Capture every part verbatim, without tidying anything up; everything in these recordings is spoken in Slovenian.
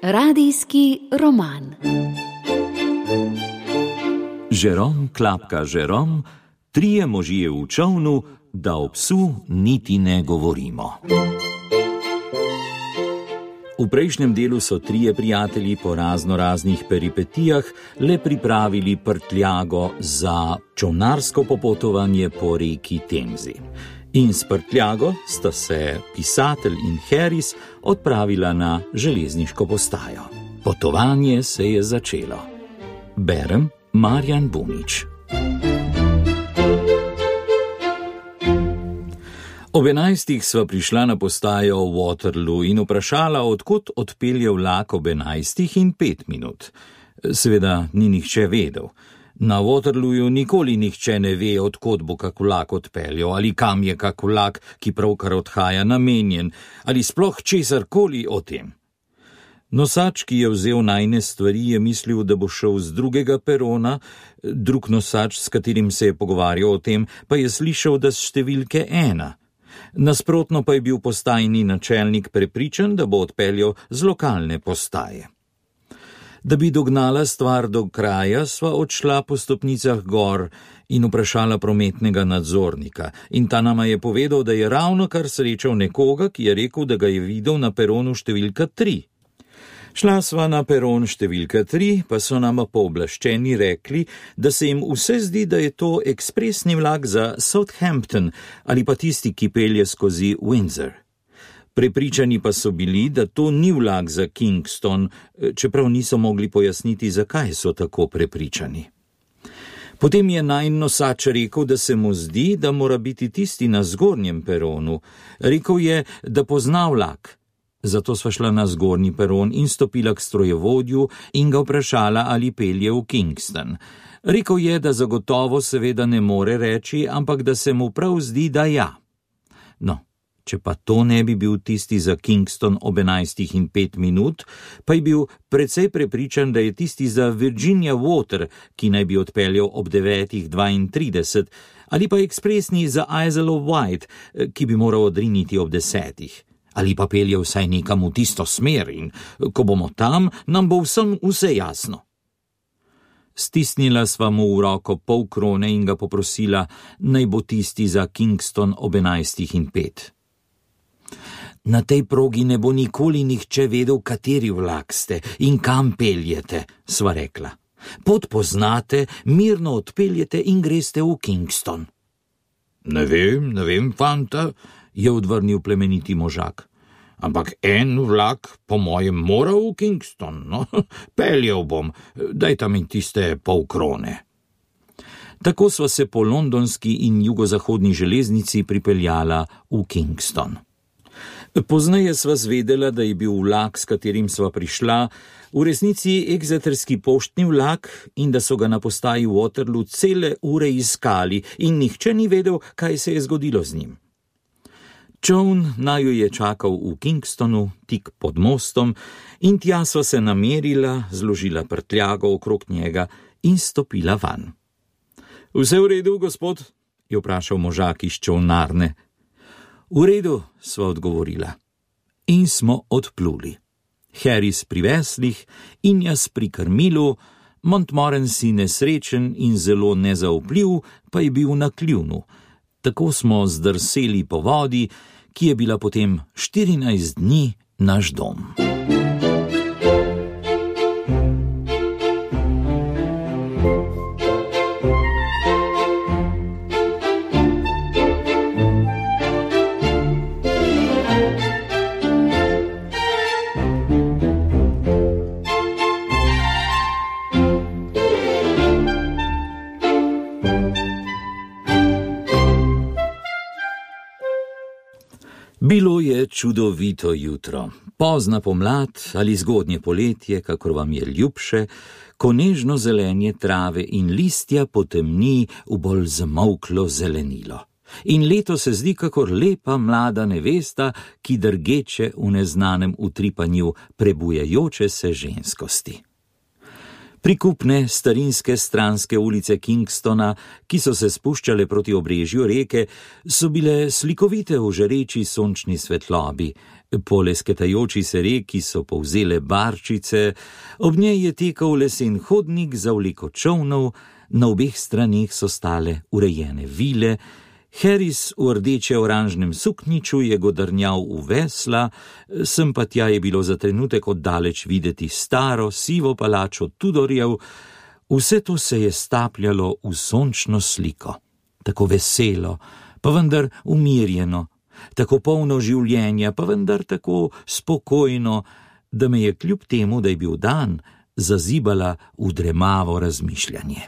Radijski roman. Žerom klapka Žerom, trije možje v čolnu, da o psu niti ne govorimo. V prejšnjem delu so trije prijatelji po razno raznih peripetijah le pripravili prtljago za čolnarsko popotovanje po reki Temzi. In s prtljago sta se pisatelj in Harris odpravila na železniško postajo. Potovanje se je začelo. Berem Marjan Bunič. Ob enajstih sva prišla na postajo v Waterloo in vprašala, odkot odpelje vlak ob enajstih in pet minut. Seveda ni nihče vedel. Na Waterlooju nikoli nihče ne ve, odkot bo kak vlak odpeljal, ali kam je kak vlak, ki pravkar odhaja, namenjen, ali sploh česarkoli o tem. Nosač, ki je vzel najne stvari, je mislil, da bo šel z drugega perona, drug nosač, s katerim se je pogovarjal o tem, pa je slišal, da s številke ena. Nasprotno pa je bil postajni načelnik prepričan, da bo odpeljal z lokalne postaje. Da bi dognala stvar do kraja, sva odšla po stopnicah gor in vprašala prometnega nadzornika, in ta nama je povedal, da je ravnokar srečal nekoga, ki je rekel, da ga je videl na peronu številka tri. Šla sva na peron številka tri, pa so nama pooblaščeni rekli, da se jim vse zdi, da je to ekspresni vlak za Southampton ali pa tisti, ki pelje skozi Windsor. Prepričani pa so bili, da to ni vlak za Kingston, čeprav niso mogli pojasniti, zakaj so tako prepričani. Potem je najin nosač rekel, da se mu zdi, da mora biti tisti na zgornjem peronu. Rekel je, da pozna vlak. Zato sva šla na zgornji peron in stopila k strojevodju in ga vprašala, ali pelje v Kingston. Rekel je, da zagotovo seveda ne more reči, ampak da se mu prav zdi, da ja. No, če pa to ne bi bil tisti za Kingston ob enajstih in pet minut, pa je bil precej prepričan, da je tisti za Virginia Water, ki naj bi odpeljal ob devetih dvaintrideset, ali pa ekspresni za Isle of Wight, ki bi moral odriniti ob desetih. Ali pa pelje vsaj nekam v tisto smer in ko bomo tam, nam bo vsem vse jasno. Stisnila sva mu v roko pol krone in ga poprosila, naj bo tisti za Kingston ob enajstih in pet. Na tej progi ne bo nikoli nihče vedel, kateri vlak ste in kam peljete, sva rekla. Pot poznate, mirno odpeljete in greste v Kingston. Ne vem, ne vem, fanta, je odvrnil plemeniti možak. Ampak en vlak, po mojem, mora v Kingston, no, peljal bom, dajta mi tiste pol krone. Tako sva se po londonski in jugozahodni železnici pripeljala v Kingston. Pozneje sva zvedela, da je bil vlak, s katerim sva prišla, v resnici exeterski poštni vlak in da so ga na postaji Waterloo cele ure iskali in nihče ni vedel, kaj se je zgodilo z njim. Čoln naju je čakal v Kingstonu, tik pod mostom, in tja sva se namerila, zložila prtljago okrog njega in stopila van. Vse v redu, gospod? Je vprašal možak iz čolnarne. V redu, sva odgovorila. In smo odpluli. Harris pri veslih in jaz pri krmilu, Montmorency nesrečen in zelo nezaupljiv, pa je bil na kljunu. Tako smo zdrseli po vodi, ki je bila potem štirinajst dni naš dom. Bilo je čudovito jutro, pozna pomlad ali zgodnje poletje, kakor vam je ljubše, ko nežno zelenje trave in listja potemni v bolj zamolklo zelenilo. In leto se zdi kakor lepa mlada nevesta, ki drgeče v neznanem utripanju prebujajoče se ženskosti. Prikupne starinske stranske ulice Kingstona, ki so se spuščale proti obrežju reke, so bile slikovite v žareči sončni svetlobi, Po lesketajoči se reki so povzele barčice, ob njej je tekel lesen hodnik za vleko čolnov, na obeh straneh so stale urejene vile, Harris v rdeče-oranžnem suknjiču je godrnjal v vesla, sem pa tja je bilo za trenutek oddaleč videti staro, sivo palačo Tudorjev, vse to se je stapljalo v sončno sliko, tako veselo, pa vendar umirjeno, tako polno življenja, pa vendar tako spokojno, da me je kljub temu, da je bil dan, zazibala v dremavo razmišljanje.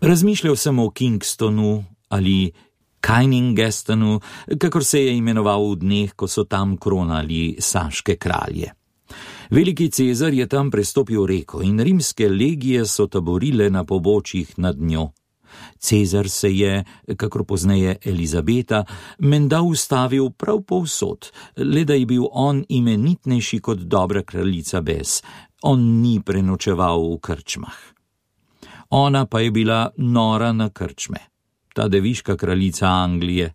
Razmišljal sem o Kingstonu ali Kyningestonu, kakor se je imenoval v dneh, ko so tam kronali saške kralje. Veliki Cezar je tam prestopil reko in rimske legije so taborile na pobočjih nad njo. Cezar se je, kakor pozneje Elizabeta, menda ustavil prav povsod, le da je bil on imenitnejši kot dobra kraljica Bess. On ni prenočeval v krčmah. Ona pa je bila nora na krčme, ta deviška kraljica Anglije.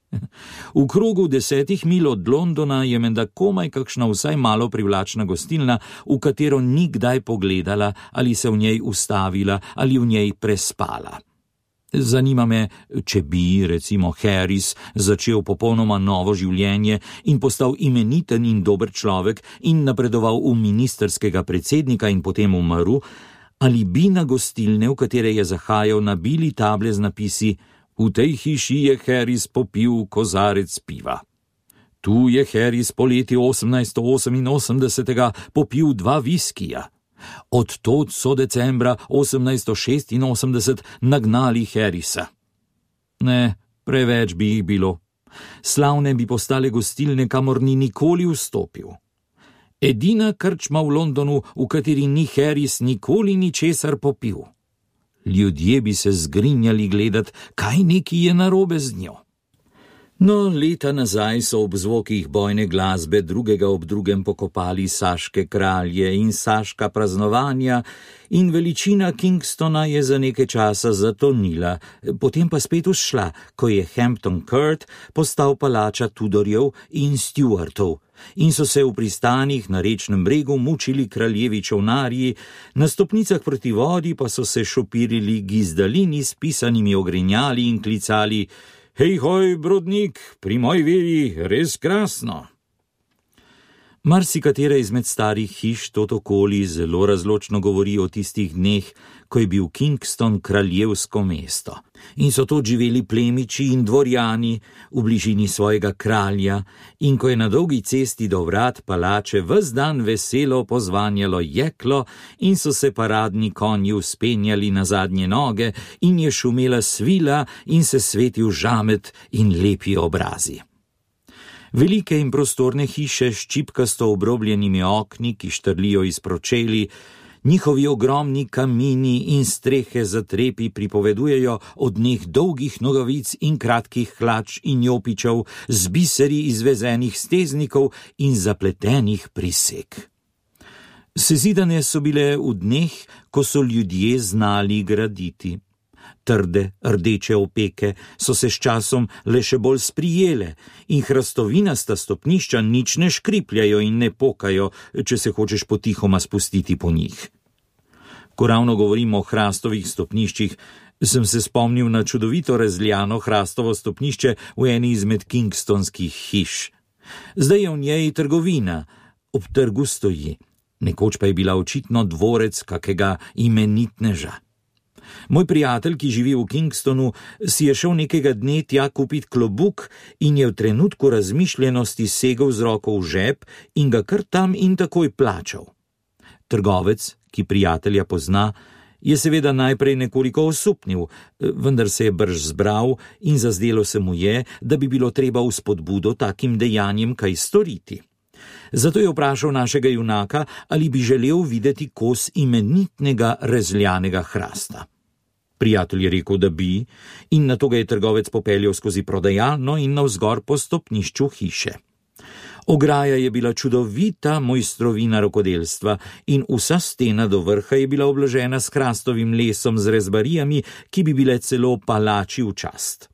V krogu desetih mil od Londona je menda komaj kakšna vsaj malo privlačna gostilna, v katero ni kdaj pogledala ali se v njej ustavila ali v njej prespala. Zanima me, če bi, recimo, Harris začel popolnoma novo življenje in postal imeniten in dober človek in napredoval v ministerskega predsednika in potem umrl, ali bi na gostilne, v katere je zahajal, nabili table z napisi: v tej hiši je Harris popil kozarec piva. Tu je Harris poleti osemnajststo oseminosemdesetega popil dva viskija. Od tod so decembra osemnajststo šestinosemdeset nagnali Harrisa. Ne, preveč bi jih bilo. Slavne bi postale gostilne, kamor ni nikoli vstopil. Edina krčma v Londonu, v kateri ni Harris nikoli ničesar popil. Ljudje bi se zgrinjali gledat, kaj neki je narobe z njo. No, leta nazaj so ob zvokih bojne glasbe drugega ob drugem pokopali saške kralje in saška praznovanja in veličina Kingstona je za nekaj časa zatonila, potem pa spet vzšla, ko je Hampton Court postal palača Tudorjev in Stuartov in so se v pristanih na rečnem bregu mučili kraljevi čolnarji, na stopnicah proti vodi pa so se šopirili gizdalini s pisanimi ogrinjali in klicali: hej hoj, brodnik, pri moji veri res krasno. Marsikatera izmed starih hiš tot okoli zelo razločno govori o tistih dneh, ko je bil Kingston kraljevsko mesto. In so to živeli plemiči in dvorjani v bližini svojega kralja, in ko je na dolgi cesti do vrat palače ves dan veselo pozvanjalo jeklo in so se paradni konji vzpenjali na zadnje noge in je šumela svila in se svetil žamet in lepi obrazi. Velike in prostorne hiše s čipkasto obrobljenimi okni, ki štrlijo iz pročeli, njihovi ogromni kamini in strehe za trepi pripovedujejo o dneh dolgih nogavic in kratkih hlač in jopičev, z biseri izvezenih steznikov in zapletenih prisek. Sezidane so bile v dneh, ko so ljudje znali graditi. Trde, rdeče opeke so se s časom le še bolj sprijele in hrastovinasta stopnišča nič ne škripljajo in ne pokajo, če se hočeš potihoma spustiti po njih. Ko ravno govorimo o hrastovih stopniščih, sem se spomnil na čudovito razljano hrastovo stopnišče v eni izmed kingstonskih hiš. Zdaj je v njej trgovina, ob trgu stoji, nekoč pa je bila očitno dvorec kakega imenitneža. Moj prijatelj, ki živi v Kingstonu, si je šel nekega dne tja kupit klobuk in je v trenutku razmišljenosti segel z roko v žep in ga kar tam in takoj plačal. Trgovec, ki prijatelja pozna, je seveda najprej nekoliko osupnil, vendar se je brž zbral in zazdelo se mu je, da bi bilo treba v spodbudo takim dejanjem kaj storiti. Zato je vprašal našega junaka, ali bi želel videti kos imenitnega rezljanega hrasta. Prijatelj je rekel, da bi, in nato ga je trgovec popeljal skozi prodajalno in navzgor po stopnišču hiše. Ograja je bila čudovita mojstrovina rokodelstva in vsa stena do vrha je bila obložena s hrastovim lesom z rezbarijami, ki bi bile celo palači v čast.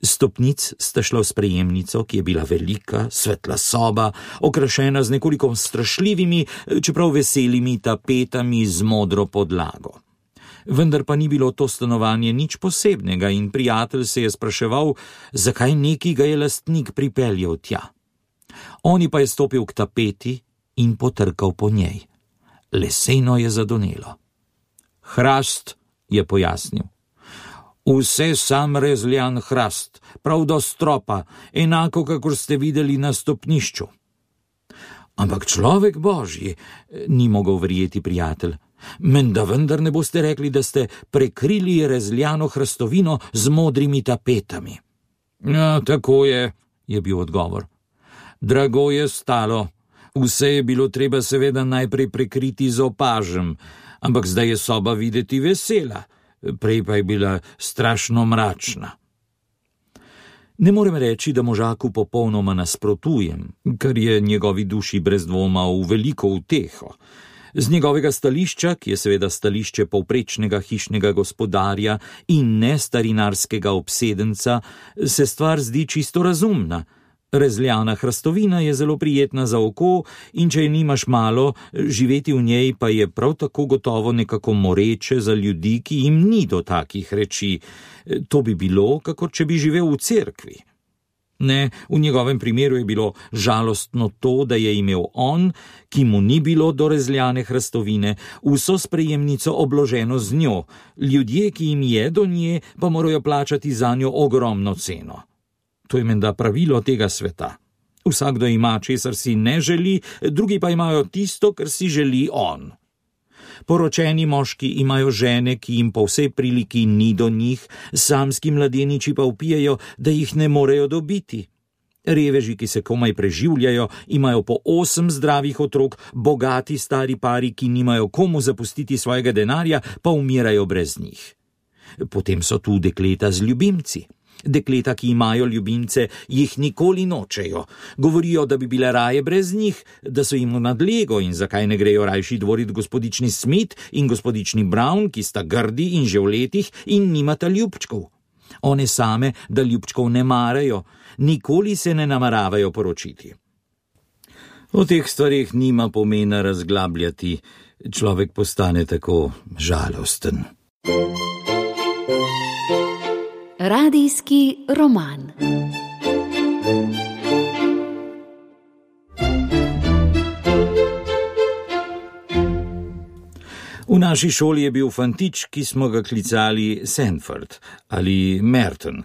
Stopnic sta šla v sprejemnico, ki je bila velika, svetla soba, okrašena z nekoliko strašljivimi, čeprav veselimi tapetami z modro podlago. Vendar pa ni bilo to stanovanje nič posebnega in prijatelj se je spraševal, zakaj neki ga je lastnik pripeljal tja. Oni pa je stopil k tapeti in potrkal po njej. Leseno je zadonelo. Hrast, je pojasnil. Vse sam rezljan hrast, prav do stropa, enako, kakor ste videli na stopnišču. Ampak človek božji, ni mogel verjeti prijatelj. Menda vendar ne boste rekli, da ste prekrili rezljano hrastovino z modrimi tapetami. Ja, tako je, je bil odgovor. Drago je stalo. Vse je bilo treba seveda najprej prekriti z opažem, ampak zdaj je soba videti vesela, prej pa je bila strašno mračna. Ne morem reči, da možaku popolnoma nasprotujem, kar je njegovi duši brez dvoma v veliko uteho. Z njegovega stališča, ki je seveda stališče povprečnega hišnega gospodarja in ne starinarskega obsedenca, se stvar zdi čisto razumna. Rezljana hrastovina je zelo prijetna za oko in če je nimaš malo, živeti v njej pa je prav tako gotovo nekako moreče za ljudi, ki jim ni do takih reči. To bi bilo, kakor če bi živel v cerkvi. Ne, v njegovem primeru je bilo žalostno to, da je imel on, ki mu ni bilo do rezljane hrastovine, vso sprejemnico obloženo z njo, ljudje, ki jim je do nje, pa morajo plačati za njo ogromno ceno. To je menda pravilo tega sveta. Vsakdo ima, česar si ne želi, drugi pa imajo tisto, kar si želi on. Poročeni moški imajo žene, ki jim po vsej priliki ni do njih, samski mladeniči pa vpijejo, da jih ne morejo dobiti. Reveži, ki se komaj preživljajo, imajo po osem zdravih otrok, bogati stari pari, ki nimajo komu zapustiti svojega denarja, pa umirajo brez njih. Potem so tu dekleta z ljubimci. Dekleta, ki imajo ljubimce, jih nikoli nočejo. Govorijo, da bi bile raje brez njih, da so jim v nadlego in zakaj ne grejo rajši dvorit gospodični Smith in gospodični Brown, ki sta grdi in že v letih in nimata ljubčkov. One same, da ljubčkov ne marajo, nikoli se ne nameravajo poročiti. O teh stvarih nima pomena razglabljati, človek postane tako žalosten. Radijski roman. V naši šoli je bil fantič, ki smo ga klicali Sanford ali Merton.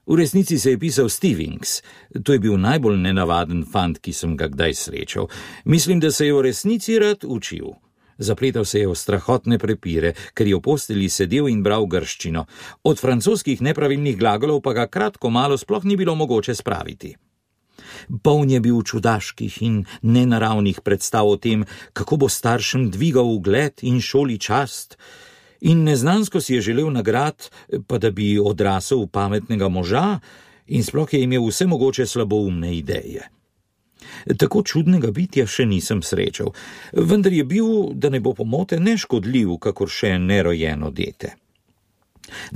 V resnici se je pisal Stevings. To je bil najbolj nenavaden fant, ki sem ga kdaj srečal. Mislim, da se je v resnici rad učil. Zapletal se je v strahotne prepire, ker je v posteli sedel in bral grščino. Od francoskih nepravilnih glagolov pa ga kratko malo sploh ni bilo mogoče spraviti. Poln je bil čudaških in nenaravnih predstav o tem, kako bo staršem dvigal ugled in šoli čast. In neznansko si je želel nagrad, pa da bi odrasel v pametnega moža in sploh je imel vse mogoče slaboumne ideje. Tako čudnega bitja še nisem srečal, vendar je bil, da ne bo pomote, neškodljiv, kakor še nerojeno dete.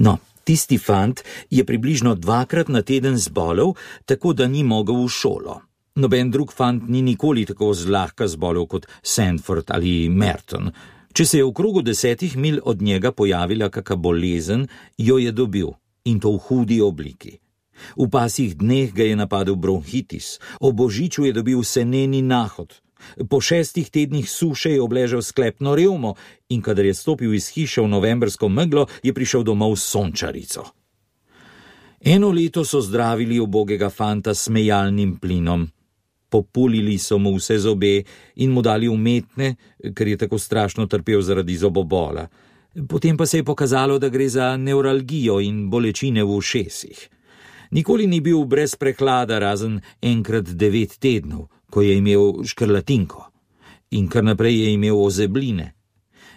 No, tisti fant je približno dvakrat na teden zbolel, tako da ni mogel v šolo. Noben drug fant ni nikoli tako zlahka zbolel kot Sanford ali Merton. Če se je v krogu desetih mil od njega pojavila kaka bolezen, jo je dobil, in to v hudi obliki. V pasih dneh ga je napadel bronhitis, o božiču je dobil seneni nahod. Po šestih tednih suše je obležal sklepno revmo in kadar je stopil iz hiše v novembrsko meglo, je prišel domov s sončarico. Eno leto so zdravili ubogega fanta s smejalnim plinom. Populili so mu vse zobe in mu dali umetne, ker je tako strašno trpel zaradi zobobola. Potem pa se je pokazalo, da gre za nevralgijo in bolečine v ušesih. Nikoli ni bil brez prehlada, razen enkrat devet tednov, ko je imel škrlatinko. In kar naprej je imel ozebline.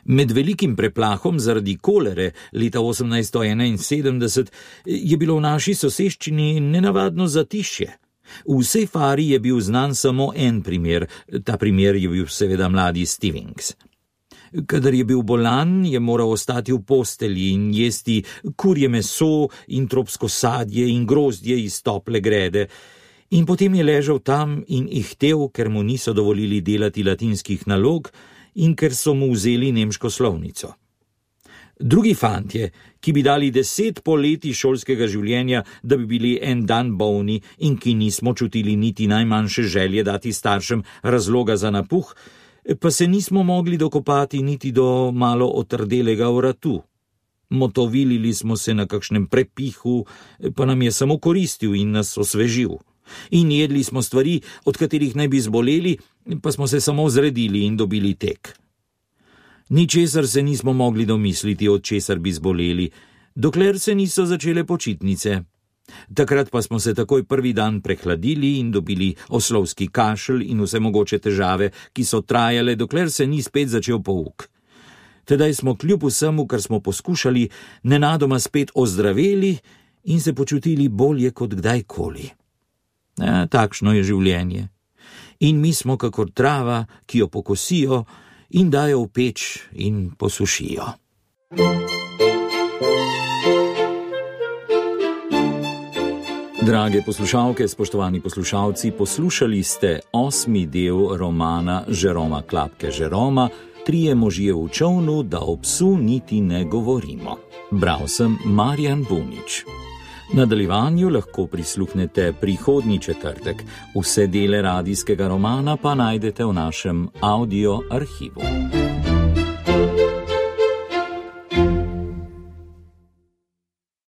Med velikim preplahom zaradi kolere leta osemnajststo enainsedemdeset je bilo v naši soseščini nenavadno zatišje. V vsej fari je bil znan samo en primer, ta primer je bil seveda mladi Stevings. Kadar je bil bolan, je moral ostati v postelji in jesti kurje meso in tropsko sadje in grozdje iz tople grede. In potem je ležal tam in ihtel, ker mu niso dovolili delati latinskih nalog in ker so mu vzeli nemško slovnico. Drugi fantje, ki bi dali deset poletij šolskega življenja, da bi bili en dan bolni in ki nismo čutili niti najmanjše želje dati staršem razloga za napuh, pa se nismo mogli dokopati niti do malo otrdelega vratu. Motovilili smo se na kakšnem prepihu, pa nam je samo koristil in nas osvežil. In jedli smo stvari, od katerih naj bi zboleli, pa smo se samo zredili in dobili tek. Ničesar se nismo mogli domisliti, od česar bi zboleli, dokler se niso začele počitnice. Takrat pa smo se takoj prvi dan prehladili in dobili oslovski kašelj in vse mogoče težave, ki so trajale, dokler se ni spet začel pouk. Tedaj smo kljub vsemu, kar smo poskušali, nenadoma spet ozdraveli in se počutili bolje kot kdajkoli. Ja, takšno je življenje. In mi smo kakor trava, ki jo pokosijo in dajo v peč in posušijo. Drage poslušalke, spoštovani poslušalci, poslušali ste osmi del romana Žeroma Klapke Žeroma, Trije možje v čolnu, da o psu niti ne govorimo. Bral sem Marjan Bunič. Nadaljevanju lahko prisluhnete prihodnji četrtek. Vse dele radijskega romana pa najdete v našem audio arhivu.